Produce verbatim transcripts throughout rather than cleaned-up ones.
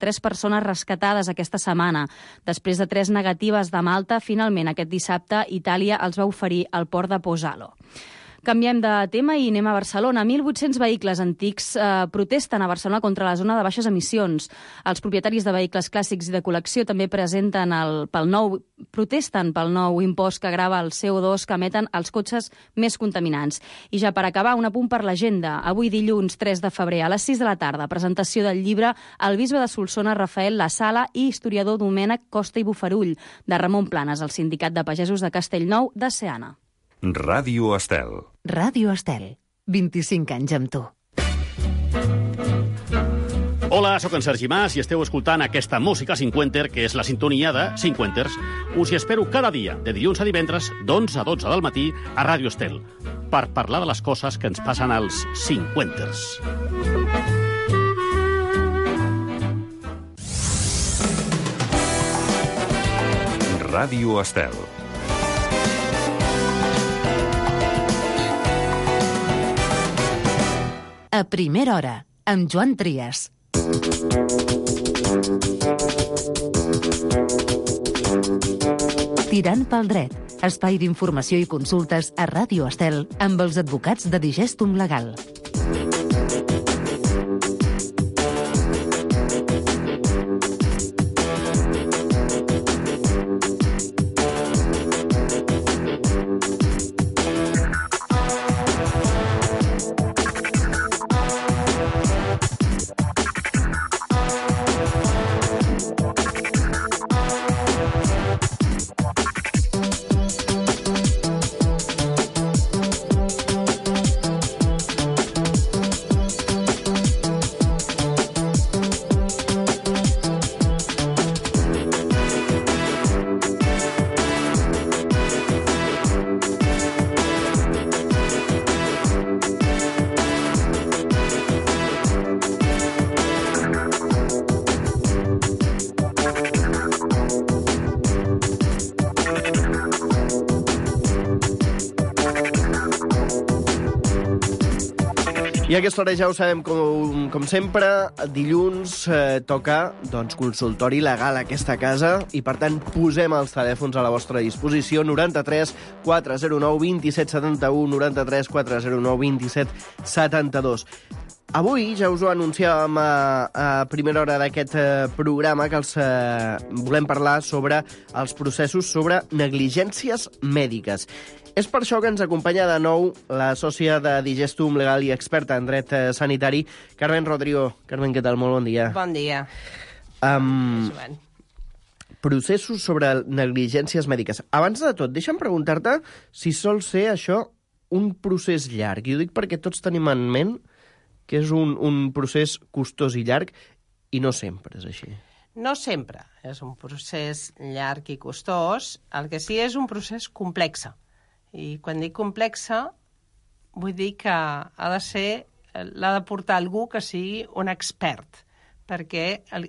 tres persones rescatades aquesta setmana. Després de tres negatives de Malta, finalment aquest dissabte Itàlia els va oferir al port de Pozzallo. Canviem de tema i anem a Barcelona. mil vuit-cents vehicles antics eh, protesten a Barcelona contra la zona de baixes emissions. Els propietaris de vehicles clàssics i de col·lecció també presenten el, pel nou, protesten pel nou impost que grava el C O dos que emeten els cotxes més contaminants. I ja per acabar, un apunt per l'agenda. Avui dilluns tres de febrer a les sis de la tarda, presentació del llibre El bisbe de Solsona, Rafael La Sala i historiador Domènec Costa i Bofarull, de Ramon Planes, el Sindicat de Pagesos de Castellnou de Seana. Ràdio Estel. Ràdio Estel. vint-i-cinc anys amb tu. Hola, sóc en Sergi Mas i esteu escoltant aquesta música cinquenter, que és la sintonia de Cinquenters. Us hi espero cada dia, de dilluns a divendres, d'onze a dotze del matí, a Ràdio Estel, per parlar de les coses que ens passen als Cinquenters. Ràdio Estel. A primera hora, amb Joan Trias. Tirant pel dret, espai d'informació i consultes a Ràdio Estel amb els advocats de Digestum Legal. I a aquesta hora ja ho sabem, com, com sempre, dilluns eh, toca doncs, consultori legal a aquesta casa i, per tant, posem els telèfons a la vostra disposició. noranta-tres quatre zero nou vint-i-set setanta-u, noranta-tres quatre zero nou vint-i-set setanta-dos. Avui ja us ho anunciàvem a, a primera hora d'aquest eh, programa que els eh, volem parlar sobre els processos sobre negligències mèdiques. És per això que ens acompanya de nou la sòcia de Digestum Legal i experta en dret eh, sanitari, Carmen Rodrigo. Carmen, què tal? Molt bon dia. Bon dia. Um, processos sobre negligències mèdiques. Abans de tot, deixa'm preguntar-te si sol ser això un procés llarg. I ho dic perquè tots tenim en ment que és un, un procés costós i llarg, i no sempre és així. No sempre és un procés llarg i costós. El que sí és un procés complex. I quan dic complexa, vull dir que ha de ser, l'ha de portar algú que sigui un expert, perquè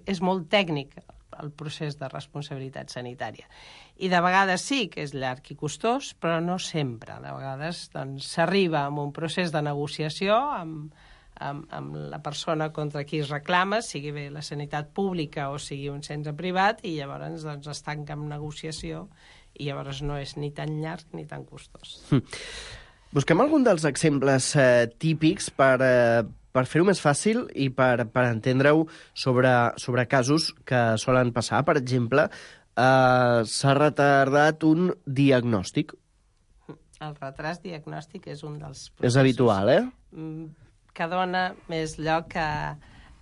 és molt tècnic el procés de responsabilitat sanitària. I de vegades sí que és llarg i costós, però no sempre. De vegades doncs, s'arriba a un procés de negociació amb, amb, amb la persona contra qui es reclama, sigui bé la sanitat pública o sigui un centre privat, i llavors doncs, es tanca amb negociació i llavors no és ni tan llarg ni tan costós. Hm. Busquem algun dels exemples eh, típics per, eh, per fer-ho més fàcil i per, per entendre-ho sobre, sobre casos que solen passar. Per exemple, eh, s'ha retardat un diagnòstic. El retras diagnòstic és un dels processos... És habitual, eh? Que dona més lloc a...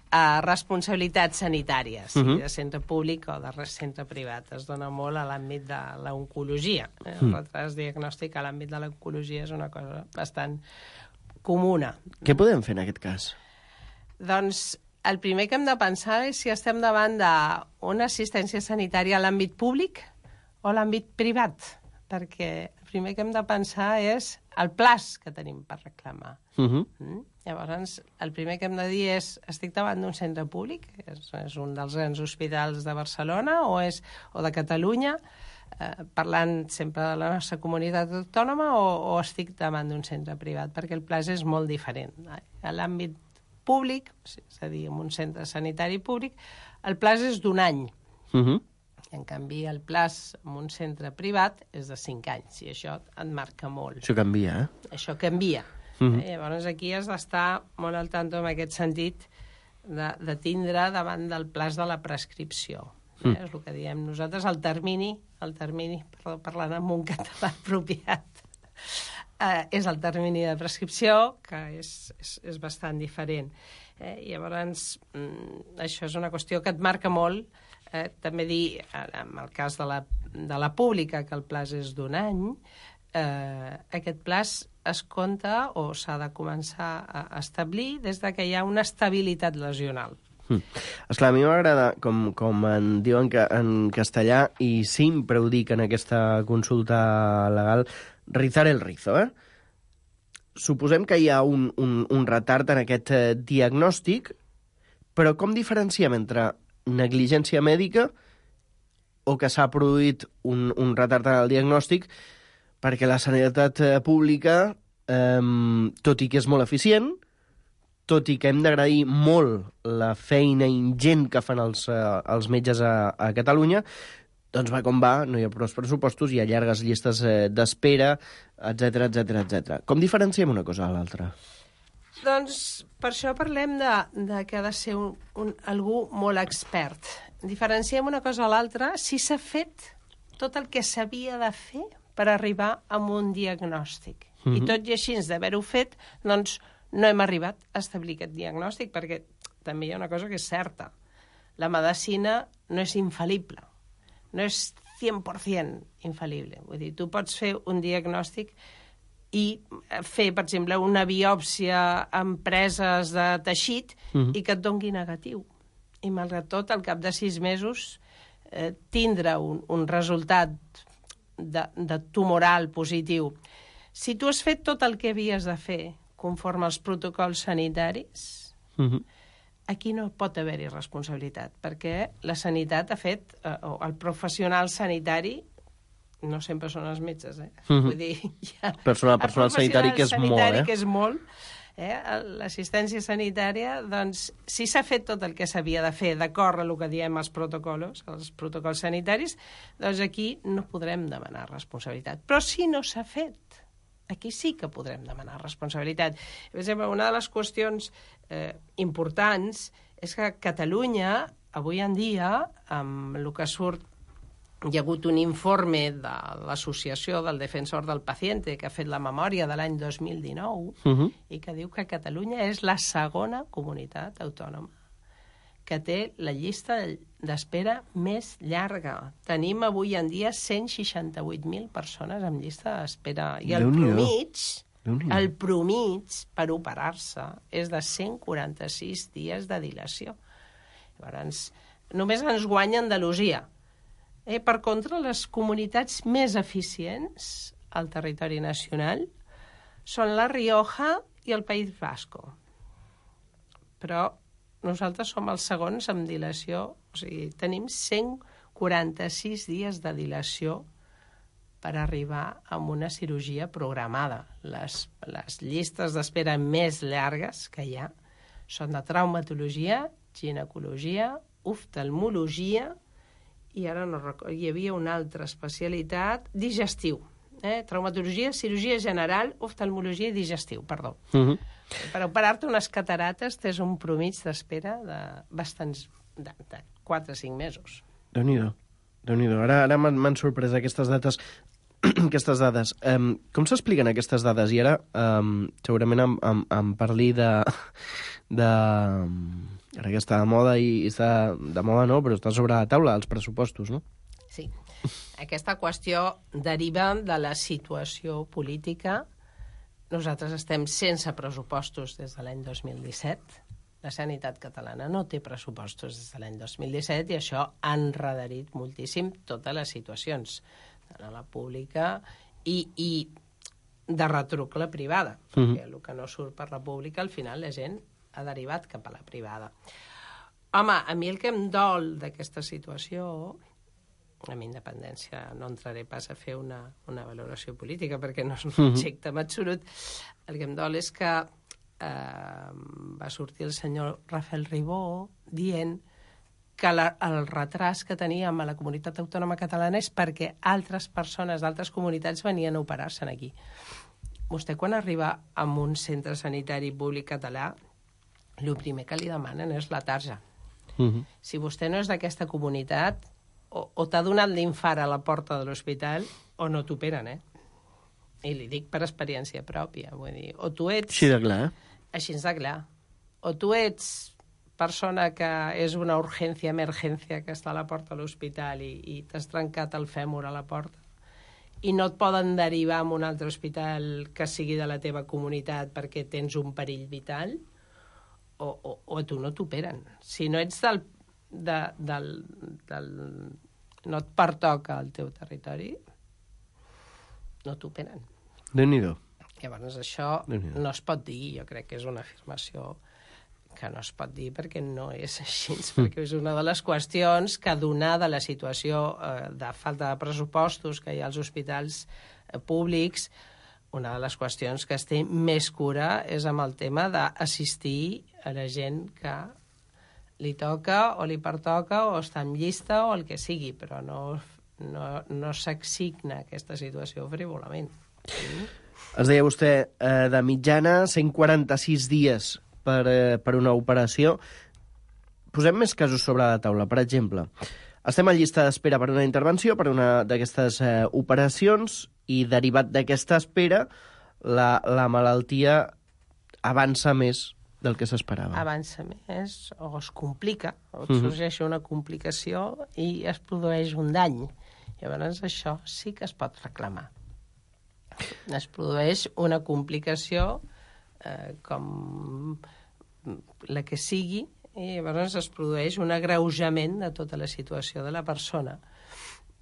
a responsabilitats sanitàries, sigui uh-huh. de centre públic o de centre privat. Es dona molt a l'àmbit de l'oncologia. El uh-huh. retras diagnòstic a l'àmbit de l'oncologia és una cosa bastant comuna. Què podem fer en aquest cas? Doncs el primer que hem de pensar és si estem davant d'una assistència sanitària a l'àmbit públic o a l'àmbit privat, perquè el primer que hem de pensar és el plaç que tenim per reclamar. Uh-huh. Mm? Llavors, el primer que hem de dir és, estic davant d'un centre públic, és, és un dels grans hospitals de Barcelona o, és, o de Catalunya, eh, parlant sempre de la nostra comunitat autònoma, o, o estic davant d'un centre privat, perquè el plaç és molt diferent. A l'àmbit públic, és a dir, en un centre sanitari públic, el plaç és d'un any. Uh -huh. En canvi, el plaç en un centre privat és de cinc anys, i això et marca molt. Això canvia, eh? Això canvia. Uh -huh. eh, llavors, aquí has d'estar molt al tanto en aquest sentit de, de tindre davant del plaç de la prescripció. Eh? Mm. És el que diem nosaltres, el termini, el termini, perdó, parlant amb un català apropiat, eh, és el termini de prescripció, que és, és, és bastant diferent. Eh? Llavors, mm, això és una qüestió que et marca molt. Eh, també dir, en el cas de la, de la pública, que el plaç és d'un any, eh, aquest plaç es compta o s'ha de començar a establir des de que hi ha una estabilitat lesional. Mm. Esclar, a mi m'agrada, com, com en diuen que, en castellà, i sempre ho dic en aquesta consulta legal, rizar el rizo, eh? Suposem que hi ha un, un, un retard en aquest eh, diagnòstic, però com diferenciem entre negligència mèdica o que s'ha produït un, un retard en el diagnòstic perquè la sanitat pública, eh, tot i que és molt eficient, tot i que hem d'agrair molt la feina ingent que fan els, eh, els metges a, a Catalunya, doncs va com va, no hi ha prou pressupostos, hi ha llargues llistes eh, d'espera, etcètera, etcètera, etcètera. Com diferenciem una cosa a l'altra? Doncs per això parlem de, de que ha de ser un, un, algú molt expert. Diferenciem una cosa a l'altra si s'ha fet tot el que s'havia de fer per arribar a un diagnòstic. Mm-hmm. I tot i així d'haver-ho fet, doncs no hem arribat a establir aquest diagnòstic, perquè també hi ha una cosa que és certa. La medicina no és infal·lible, no és cent per cent infal·lible. Vull dir, tu pots fer un diagnòstic i fer, per exemple, una biòpsia amb preses de teixit mm-hmm. i que et dongui negatiu. I, malgrat tot, al cap de sis mesos eh, tindre un, un resultat de, de tumoral positiu. Si tu has fet tot el que havies de fer conforme als protocols sanitaris, mm-hmm. aquí no pot haver-hi responsabilitat, perquè la sanitat ha fet, eh, o el professional sanitari, no sempre són els metges, eh? Mm-hmm. Vull dir, ja, personal, personal sanitari que és sanitari molt, eh? que és molt, eh? L'assistència sanitària, doncs, si s'ha fet tot el que s'havia de fer d'acord amb el que diem els protocols, els protocols sanitaris, doncs aquí no podrem demanar responsabilitat. Però si no s'ha fet, aquí sí que podrem demanar responsabilitat. Per exemple, una de les qüestions eh, importants és que a Catalunya, avui en dia, amb el que surt, hi ha hagut un informe de l'Associació del Defensor del Paciente que ha fet la memòria de l'any dos mil dinou uh-huh. i que diu que Catalunya és la segona comunitat autònoma que té la llista d'espera més llarga. Tenim avui en dia cent seixanta-vuit mil persones amb llista d'espera. I el promig, el promig per operar-se és de cent quaranta-sis dies de dilació. Llavors, només ens guanya Andalusia. Eh, per contra, les comunitats més eficients al territori nacional són la Rioja i el País Basco. Però nosaltres som els segons amb dilació, o sigui, tenim cent quaranta-sis dies de dilació per arribar a una cirurgia programada. Les, les llistes d'espera més llargues que hi ha són de traumatologia, ginecologia, oftalmologia, i ara no recordo, hi havia una altra especialitat, digestiu. Eh? Traumatologia, cirurgia general, oftalmologia i digestiu, perdó. Uh-huh. Per operar-te unes catarates tens un promig d'espera de bastants, de, de quatre o cinc mesos. Déu-n'hi-do, Déu-n'hi-do. Ara, ara m'han sorprès aquestes dates, aquestes dades. Um, com s'expliquen aquestes dades? I ara um, segurament em, em, em parli de... de ara que està de moda i està de moda no, però està sobre la taula els pressupostos, no? Sí. Aquesta qüestió deriva de la situació política. Nosaltres estem sense pressupostos des de l'any dos mil disset. La sanitat catalana no té pressupostos des de l'any dos mil disset i això ha enredarit moltíssim totes les situacions de la pública i, i de retruc la privada, mm-hmm. perquè el que no surt per la pública al final la gent ha derivat cap a la privada. Home, a mi el que em dol d'aquesta situació, amb independència no entraré pas a fer una, una valoració política perquè no és un objecte en absolut, el que em dol és que eh, va sortir el senyor Rafael Ribó dient que la, el retras que teníem a la comunitat autònoma catalana és perquè altres persones d'altres comunitats venien a operar-se aquí. Vostè, quan arriba a un centre sanitari públic català, el primer que li demanen és la tarja. Uh-huh. Si vostè no és d'aquesta comunitat, o, o t'ha donat l'infart a la porta de l'hospital, o no t'operen, eh? I li dic per experiència pròpia. Vull dir, o tu ets... Així de clar. Així de clar. O tu ets persona que és una urgència, emergència, que està a la porta de l'hospital i, i t'has trencat el fèmur a la porta i no et poden derivar a un altre hospital que sigui de la teva comunitat perquè tens un perill vital, o, o, o a tu no t'operen. Si no ets del, de, del, del... no et pertoca al teu territori, no t'operen. Déu-n'hi-do. Llavors, això no es pot dir, jo crec que és una afirmació que no es pot dir perquè no és així, mm. perquè és una de les qüestions que, donada la situació eh, de falta de pressupostos que hi ha als hospitals eh, públics, una de les qüestions que es té més cura és amb el tema d'assistir a la gent que li toca o li pertoca o està en llista o el que sigui, però no, no, no s'assigna aquesta situació frívolament. Mm. Ens deia vostè, eh, de mitjana, cent quaranta-sis dies per, eh, per una operació. Posem més casos sobre la taula. Per exemple, estem a llista d'espera per una intervenció, per una d'aquestes eh, operacions, i derivat d'aquesta espera, la, la malaltia avança més del que s'esperava. Avança més, o es complica, o et sorgeix una complicació i es produeix un dany. Llavors això sí que es pot reclamar. Es produeix una complicació eh, com la que sigui, i llavors es produeix un agreujament de tota la situació de la persona.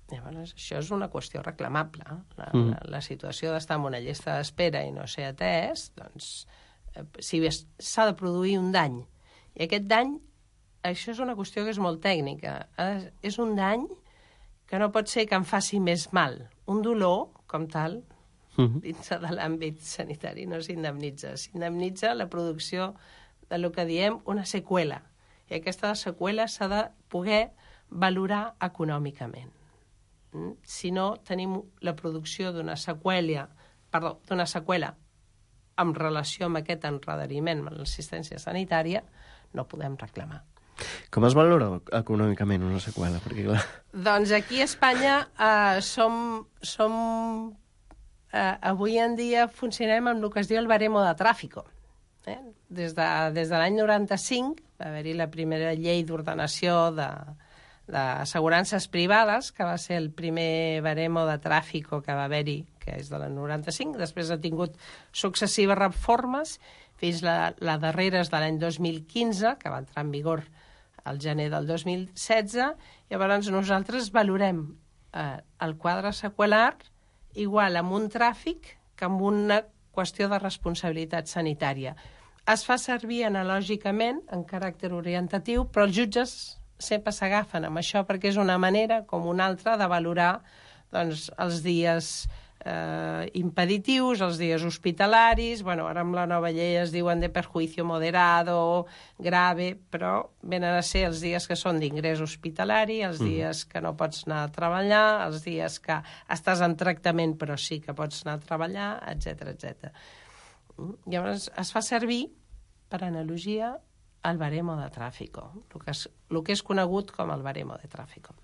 Llavors, això és una qüestió reclamable. La, mm. la, la situació d'estar en una llista d'espera i no ser atès, doncs, eh, si s'ha de produir un dany. I aquest dany, això és una qüestió que és molt tècnica. Eh, és un dany que no pot ser que em faci més mal. Un dolor, com tal, mm. dins de l'àmbit sanitari no s'indemnitza. S'indemnitza la producció de lo que diem una seqüela. I aquesta seqüela s'ha de poder valorar econòmicament. Si no tenim la producció d'una seqüela, perdó, d'una seqüela en relació amb aquest enredariment amb l'assistència sanitària, no podem reclamar. Com es valora econòmicament una seqüela? Perquè, clar... Doncs aquí a Espanya eh, som... som eh, avui en dia funcionem amb el que es diu el baremo de tràfico. Eh? Des de, des de l'any noranta-cinc va haver-hi la primera llei d'ordenació de... d'assegurances privades, que va ser el primer baremo de tràfico que va haver-hi, que és de l'any noranta-cinc. Després ha tingut successives reformes, fins la, la darrera és de l'any dos mil quinze, que va entrar en vigor al gener del dos mil setze. Llavors nosaltres valorem eh, el quadre seqüelar igual amb un tràfic que amb una qüestió de responsabilitat sanitària. Es fa servir analògicament, en caràcter orientatiu, però els jutges sempre s'agafen amb això perquè és una manera com una altra de valorar doncs, els dies eh, impeditius, els dies hospitalaris. Bueno, ara amb la nova llei es diuen de perjuicio moderado, grave, però venen a ser els dies que són d'ingrés hospitalari, els dies que no pots anar a treballar, els dies que estàs en tractament però sí que pots anar a treballar, etcètera, etcètera. Llavors es fa servir, per analogia, el baremo de tràfico, el que, és, el que és conegut com el baremo de tràfico.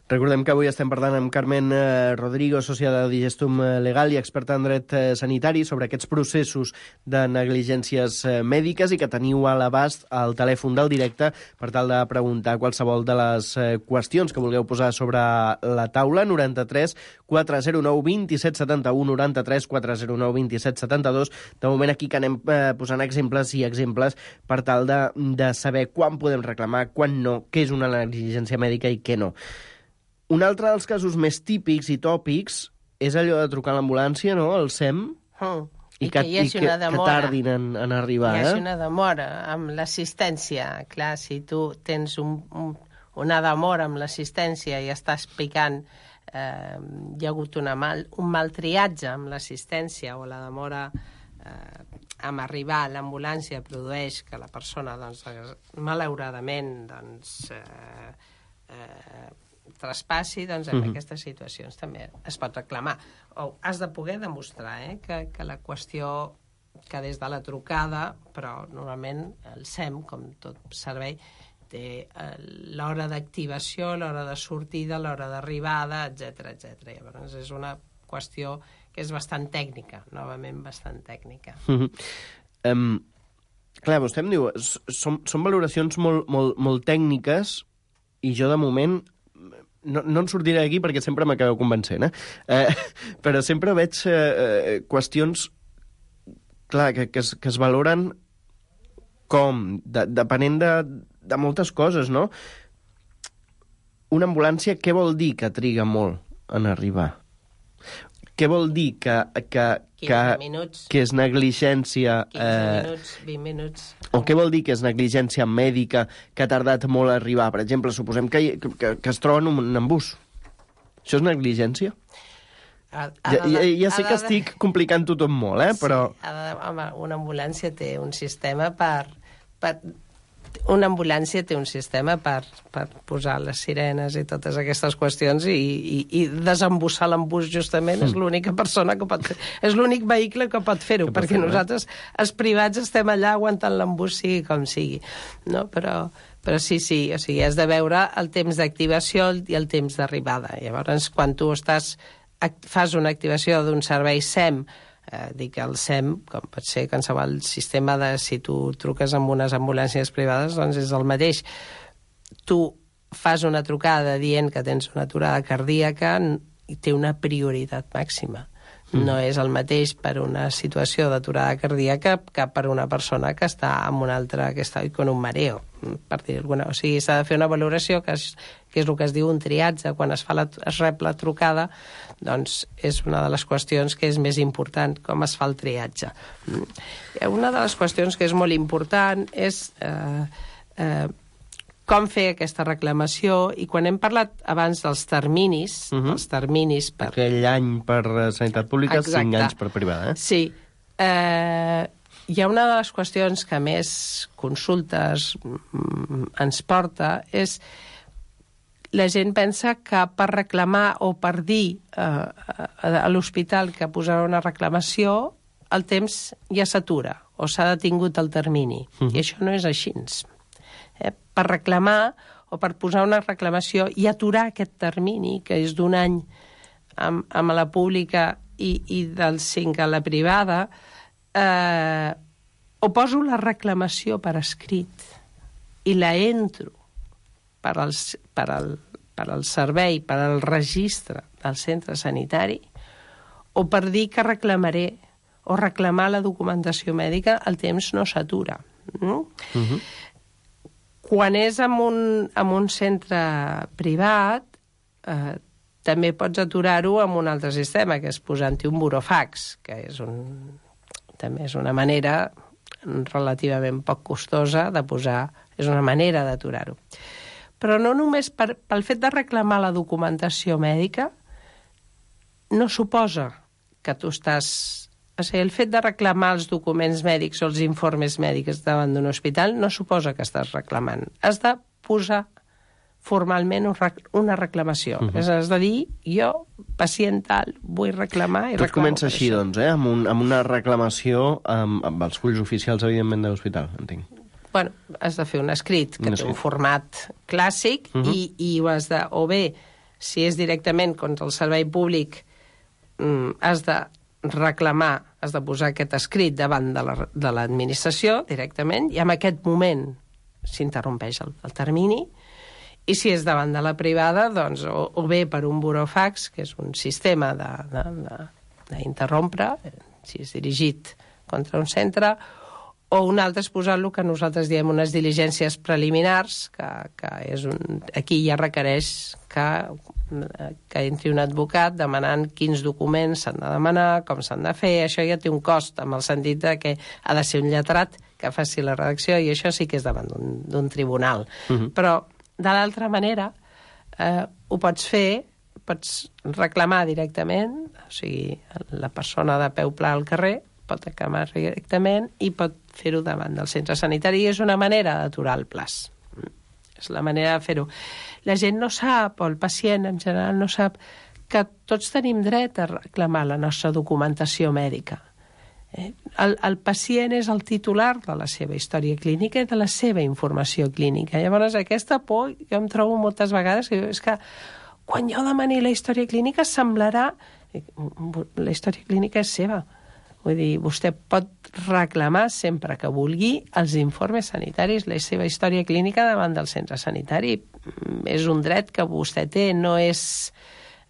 Recordem que avui estem parlant amb Carmen eh, Rodrigo, sòcia de Digestum Legal i experta en dret eh, sanitari, sobre aquests processos de negligències eh, mèdiques, i que teniu a l'abast al telèfon del directe per tal de preguntar qualsevol de les eh, qüestions que vulgueu posar sobre la taula. Noranta-tres quatre zero nou vint set setanta-u, noranta-tres quatre zero nou vint set setanta-dos. De moment aquí que anem eh, posant exemples i exemples per tal de, de saber quan podem reclamar, quan no, què és una negligència mèdica i què no. Un altre dels casos més típics i tòpics és allò de trucar a l'ambulància, no?, al S E M, mm. i, I que, que hi hagi una demora. que tardin en, en arribar. Hi hagi eh? una demora amb l'assistència. Clar, si tu tens un, un, una demora amb l'assistència i estàs picant, eh, hi ha hagut una mal, un mal triatge amb l'assistència o la demora eh, amb arribar l'ambulància produeix que la persona, doncs, malauradament, doncs, eh, eh, traspassi, doncs en uh-huh. aquestes situacions també es pot reclamar. O has de poder demostrar eh, que, que la qüestió que des de la trucada, però normalment el S E M, com tot servei, té l'hora d'activació, l'hora de sortida, l'hora d'arribada, etcètera, etcètera. Llavors és una qüestió que és bastant tècnica, novament bastant tècnica. Uh-huh. um, clar, vostè em diu, són, són valoracions molt, molt, molt tècniques i jo de moment no, no en sortiré d'aquí perquè sempre m'acabeu convencent, eh? eh? Però sempre veig eh, qüestions clar, que, que, es, que es valoren com, de, depenent de, de moltes coses, no? Una ambulància, què vol dir que triga molt en arribar? Què vol dir que, que, que, que és negligència... quinze eh, minuts, vint minuts... O què vol dir que és negligència mèdica que ha tardat molt a arribar? Per exemple, suposem que, que, que es troben un embús. Això és negligència? Ha, Ja, ha de, ja, ja sé ha que de, estic complicant tothom molt, eh? Però... Sí, ha de, home, una ambulància té un sistema per... per una ambulància té un sistema per, per posar les sirenes i totes aquestes qüestions i, i, i desembussar l'embús justament és l'única persona que pot fer, és l'únic vehicle que pot fer-ho, perquè fer, nosaltres, els privats, estem allà aguantant l'embús sigui com sigui, no? Però, però sí, sí, o sigui, has de veure el temps d'activació i el temps d'arribada. Llavors, quan tu estàs, fas una activació d'un servei S E M, Eh, dic el S E M, com pot ser qualsevol sistema de si tu truques amb unes ambulàncies privades, doncs és el mateix. Tu fas una trucada dient que tens una aturada cardíaca i té una prioritat màxima. Mm. No és el mateix per una situació d'aturada cardíaca que per una persona que està amb una altra, que està con un mareo, per dir alguna. O sigui, s'ha de fer una valoració, que és, que és el que es diu un triatge, quan es, fa la, es rep la trucada, doncs és una de les qüestions que és més important, com es fa el triatge. Una de les qüestions que és molt important és eh, eh, com fer aquesta reclamació, i quan hem parlat abans dels terminis, uh-huh. els terminis per... Aquell any per sanitat pública, exacte. cinc anys per privada, eh? Sí. Eh, hi ha una de les qüestions que més consultes ens porta, és la gent pensa que per reclamar o per dir eh, a l'hospital que posarà una reclamació, el temps ja s'atura o s'ha detingut el termini. Uh-huh. I això no és així. Eh, per reclamar o per posar una reclamació i aturar aquest termini, que és d'un any amb, amb la pública i, i dels cinc a la privada, eh, o poso la reclamació per escrit i la entro per al, per al, per al servei, per al registre del centre sanitari, o per dir que reclamaré o reclamar la documentació mèdica, el temps no s'atura. Mm? Uh-huh. Quan és en un, en un centre privat, eh, també pots aturar-ho amb un altre sistema, que és posant-hi un burofax, que és un, també és una manera relativament poc costosa de posar, és una manera d'aturar-ho. Però no només per, pel fet de reclamar la documentació mèdica, no suposa que tu estàs... O sigui, el fet de reclamar els documents mèdics o els informes mèdics davant d'un hospital no suposa que estàs reclamant. Has de posar formalment una reclamació. Uh-huh. És, has de dir, jo, pacient tal, vull reclamar i tot reclamo. Tot comença així, això. Doncs, eh? amb, un, amb una reclamació amb, amb els fulls oficials, evidentment, de l'hospital, entenc. Bueno, has de fer un escrit que un té escrit. un format clàssic uh-huh. i, i ho has de... O bé, si és directament contra el servei públic, mm, has de reclamar, has de posar aquest escrit davant de l'administració la, directament, i en aquest moment s'interrompeix el, el termini, i si és davant de la privada, doncs, o, o bé per un burofax, que és un sistema d'interrompre, si és dirigit contra un centre, o un altre és posar el que nosaltres diem unes diligències preliminars, que, que és un, aquí ja requereix que, que entri un advocat demanant quins documents s'han de demanar, com s'han de fer. Això ja té un cost, amb el sentit de que ha de ser un lletrat que faci la redacció, i això sí que és davant d'un tribunal. Uh-huh. Però, de l'altra manera, eh, ho pots fer, pots reclamar directament, o sigui, la persona de peu pla al carrer pot reclamar directament i pot fer-ho davant del centre sanitari. I és una manera d'aturar el plaç. És la manera de fer-ho. La gent no sap, o el pacient en general no sap, que tots tenim dret a reclamar la nostra documentació mèdica. Eh? El, el pacient és el titular de la seva història clínica i de la seva informació clínica. Llavors, aquesta por, jo em trobo moltes vegades que és que quan jo demani la història clínica semblarà... La història clínica és seva. Vull dir, vostè pot reclamar sempre que vulgui els informes sanitaris, la seva història clínica davant del centre sanitari. És un dret que vostè té, no és,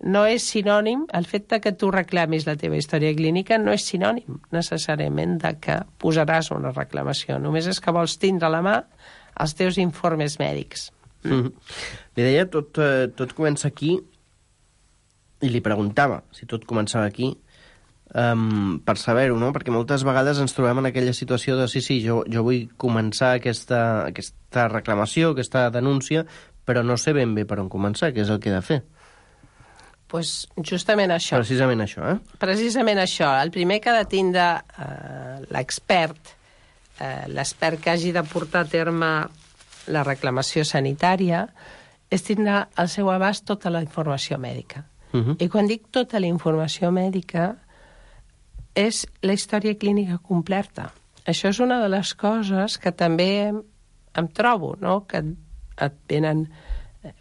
no és sinònim, el fet de que tu reclamis la teva història clínica no és sinònim necessàriament de que posaràs una reclamació. Només és que vols tindre a la mà els teus informes mèdics. Mm-hmm. Li deia, tot, eh, tot comença aquí, i li preguntava si tot començava aquí, um, per saber-ho, no? Perquè moltes vegades ens trobem en aquella situació de sí, sí, jo, jo vull començar aquesta, aquesta reclamació, aquesta denúncia, però no sé ben bé per on començar, què és el que he de fer. Pues justament això. Precisament això, eh? Precisament això. El primer que ha de tindre eh, l'expert, eh, l'expert que hagi de portar a terme la reclamació sanitària, és tindre al seu abast tota la informació mèdica. Uh-huh. I quan dic tota la informació mèdica, és la història clínica completa. Això és una de les coses que també em, em trobo, no? Que et venen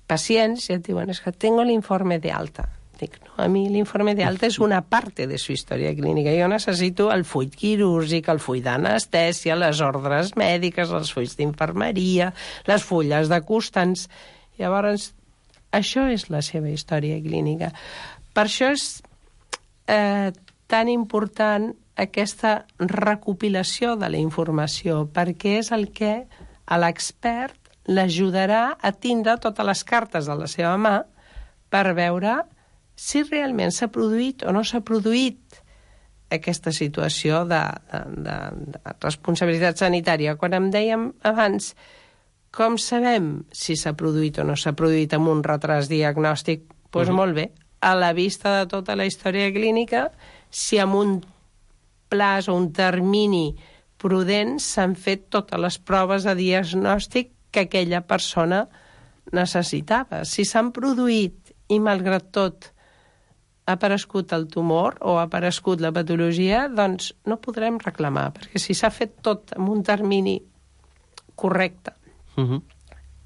pacients i et diuen, és que tengo l'informe de alta. Dic, no, a mi l'informe de alta és una parte de su història clínica. Jo necessito el full quirúrgic, el full d'anestèsia, les ordres mèdiques, els fulls d'infermeria, les fulles de constants. Llavors, això és la seva història clínica. Per això és eh, tan important aquesta recopilació de la informació, perquè és el que a l'expert l'ajudarà a tindre totes les cartes de la seva mà per veure si realment s'ha produït o no s'ha produït aquesta situació de, de, de, de responsabilitat sanitària. Quan em dèiem abans com sabem si s'ha produït o no s'ha produït amb un retras diagnòstic? Doncs pues uh-huh. molt bé, a la vista de tota la història clínica, si amb un plaç o un termini prudent s'han fet totes les proves de diagnòstic que aquella persona necessitava. Si s'han produït i, malgrat tot, ha aparegut el tumor o ha aparegut la patologia, doncs no podrem reclamar, perquè si s'ha fet tot amb un termini correcte, Uh-huh.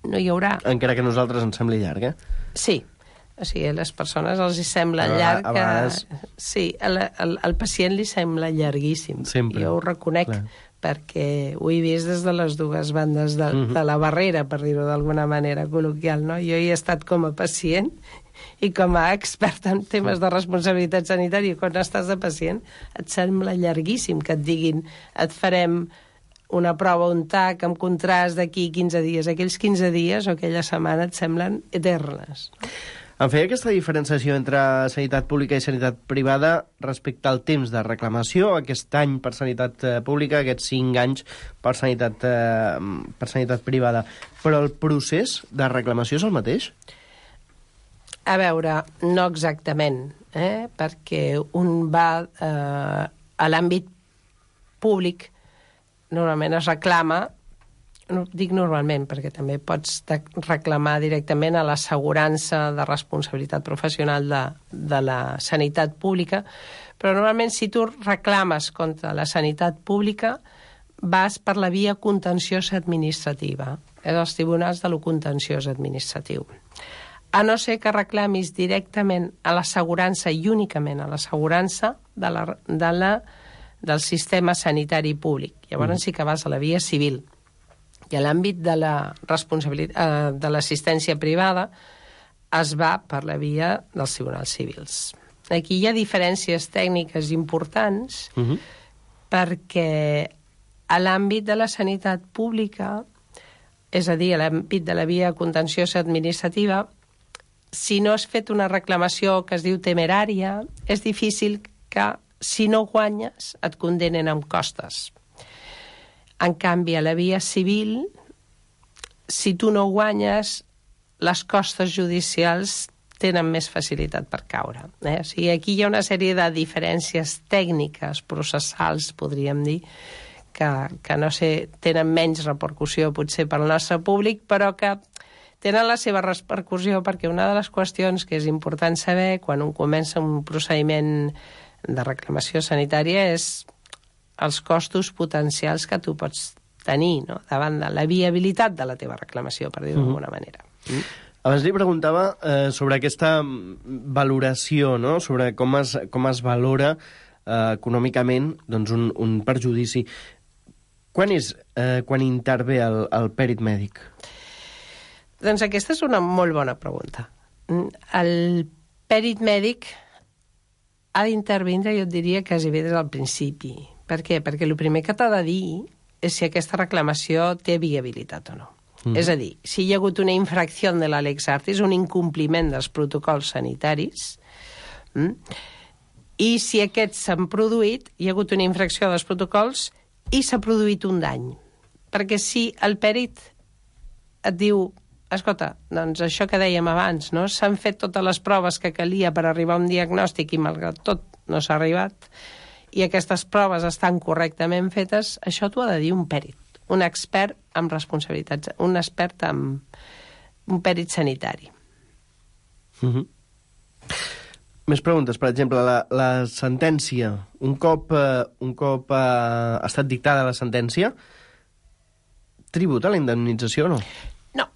no hi haurà... Encara que a nosaltres ens sembli llarg, eh? Sí. O sigui, a les persones els hi sembla a llarg... A vegades... Que... Sí, al, al, al pacient li sembla llarguíssim. Sempre. Jo ho reconec, clar. Perquè ho he vist des de les dues bandes de, uh-huh. de la barrera, per dir-ho d'alguna manera col·loquial, no? Jo hi he estat com a pacient i com a expert en temes de responsabilitat sanitària. Quan estàs de pacient et sembla llarguíssim que et diguin et farem una prova, un tac, amb contrast d'aquí quinze dies. Aquells quinze dies o aquella setmana et semblen eternes. Em feia aquesta diferenciació entre sanitat pública i sanitat privada respecte al temps de reclamació, aquest any per sanitat pública, aquests cinc anys per sanitat, eh, per sanitat privada. Però el procés de reclamació és el mateix? A veure, no exactament, eh? Perquè un va eh, a l'àmbit públic, normalment es reclama, no dic normalment, perquè també pots reclamar directament a l'assegurança de responsabilitat professional de, de la sanitat pública, però normalment si tu reclames contra la sanitat pública vas per la via contenciosa administrativa, és els tribunals de lo contenciós administratiu. A no ser que reclamis directament a l'assegurança i únicament a l'assegurança de la, de la del sistema sanitari públic. Llavors mm. sí que vas a la via civil. I a l'àmbit de la responsabilitat eh, de l'assistència privada es va per la via dels tribunals civils. Aquí hi ha diferències tècniques importants mm-hmm. perquè a l'àmbit de la sanitat pública, és a dir, a l'àmbit de la via contenciosa administrativa, si no has fet una reclamació que es diu temerària, és difícil que si no guanyes, et condenen amb costes. En canvi, a la via civil, si tu no guanyes, les costes judicials tenen més facilitat per caure. Eh? O sigui, aquí hi ha una sèrie de diferències tècniques, processals, podríem dir, que, que no sé, tenen menys repercussió potser pel nostre públic, però que tenen la seva repercussió perquè una de les qüestions que és important saber quan un comença un procediment de reclamació sanitària és els costos potencials que tu pots tenir, no?, davant de la viabilitat de la teva reclamació, per dir-ho d'alguna mm. manera. Mm. Abans li preguntava eh, sobre aquesta valoració, no?, sobre com es, com es valora eh, econòmicament doncs, un, un perjudici. Quan és eh, quan intervé el, el pèrit mèdic? Doncs aquesta és una molt bona pregunta. El pèrit mèdic ha d'intervindre, jo et diria, quasi bé des del principi. Per què? Perquè el primer que t'ha de dir és si aquesta reclamació té viabilitat o no. Mm. És a dir, si hi ha hagut una infracció de la lex artis, un incompliment dels protocols sanitaris, mm, i si aquests s'han produït, hi ha hagut una infracció dels protocols i s'ha produït un dany. Perquè si el pèrit et diu, escolta, doncs això que dèiem abans, no? S'han fet totes les proves que calia per arribar a un diagnòstic i malgrat tot no s'ha arribat, i aquestes proves estan correctament fetes, això t'ho ha de dir un pèrit, un expert amb responsabilitats, un expert amb un pèrit sanitari. Mm-hmm. Més preguntes. Per exemple, la, la sentència. Un cop, eh, un cop eh, ha estat dictada la sentència, tributa la indemnització o no? No.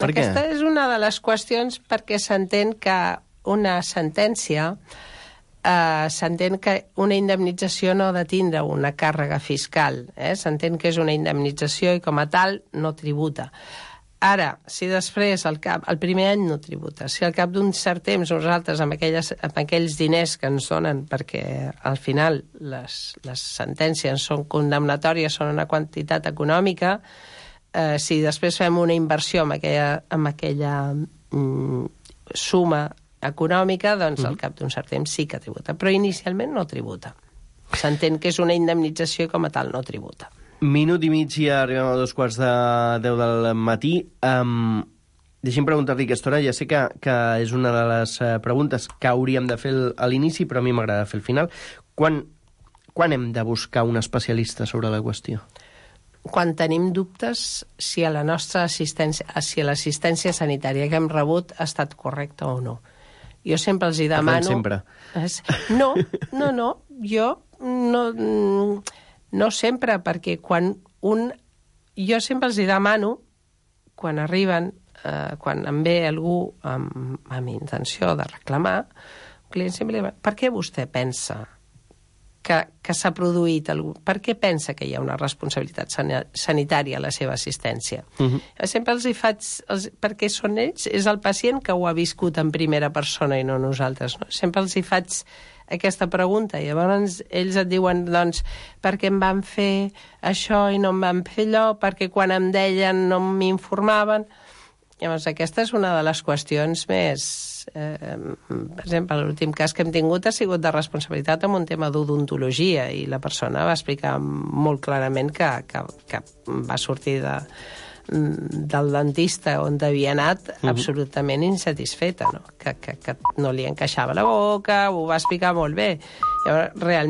Per Aquesta què? és una de les qüestions perquè s'entén que una sentència Uh, s'entén que una indemnització no ha de tindre una càrrega fiscal, eh? S'entén que és una indemnització i com a tal no tributa. Ara, si després el, cap, el primer any no tributa, si al cap d'un cert temps nosaltres amb, aquelles, amb aquells diners que ens donen, perquè al final les, les sentències són condemnatòries, són una quantitat econòmica, eh, si després fem una inversió amb aquella, amb aquella mm, suma econòmica, doncs mm-hmm. al cap d'un cert temps sí que tributa, però inicialment no tributa. S'entén que és una indemnització i com a tal no tributa. Minut i mig i arribem a dos quarts de deu del matí. Um, deixi'm preguntar-li aquesta hora, ja sé que, que és una de les uh, preguntes que hauríem de fer a l'inici, però a mi m'agrada fer al final. Quan, quan hem de buscar un especialista sobre la qüestió? Quan tenim dubtes si a la nostra assistència, si a l'assistència sanitària que hem rebut ha estat correcta o no. Jo sempre els hi demano... sempre. No, no, no. Jo no, no sempre, perquè quan un... Jo sempre els hi demano, quan arriben, eh, quan em ve algú amb, amb intenció de reclamar, un client sempre li demano, per què vostè pensa que, que s'ha produït algú? Per què pensa que hi ha una responsabilitat sanitària a la seva assistència? Uh-huh. Sempre els hi faig... Els, perquè són ells, és el pacient que ho ha viscut en primera persona i no nosaltres. No? Sempre els hi faig aquesta pregunta i llavors ells et diuen, doncs, per què em van fer això i no em van fer allò, perquè quan em deien no m'informaven... Llavors, aquesta és una de les qüestions més... Eh, per exemple, l'últim cas que hem tingut ha sigut de responsabilitat amb un tema d'odontologia i la persona va explicar molt clarament que, que, que va sortir de, del dentista on havia anat uh-huh. absolutament insatisfeta, no? Que, que, que no li encaixava la boca, ho va explicar molt bé. Llavors, realment